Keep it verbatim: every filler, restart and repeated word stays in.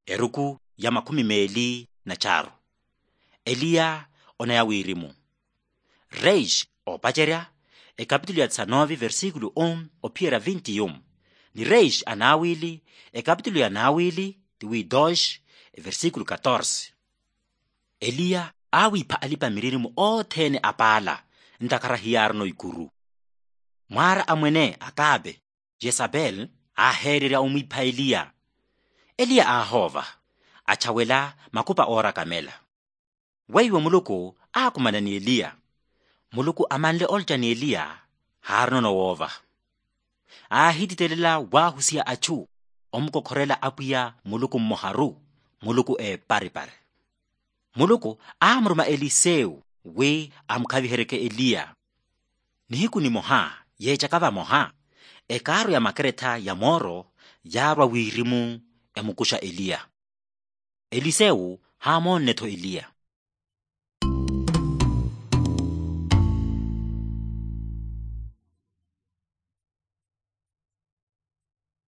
Eruku ya makhumi meeli na caaru. Eliya onaya wirimu. Reis oopacerya ekapitulu ya tisanove versikulu um ophiyerya vinti yum. Ni reis anawili ekapitulu ya nawili tiwi dos, eversikulu katorse. Eliya aawipha alipa-miririmo othene apaala ntakhara hiyaarino ikuru. Mwaara a mwene akabe, yesapeli aaheererya omwipha eliya. Eliya aahoova, achawela makupa oorakamela. Weiwo muluku aakumana ni eliya. Muluku amanle olca ni eliya, haarinono woova. Aahititelela waahusiya achu omukokhorela apwiya muluku mmoharu, muluku eeparipari. Muluku aamuruma elisewu wi amukhaviheryeke eliya. Nihiku nimoha yeecaka vamoha, ekaaru ya makeretha ya mooro yaarwa wirimu emukuxa eliya. Elisewu haamoonne-tho eliya.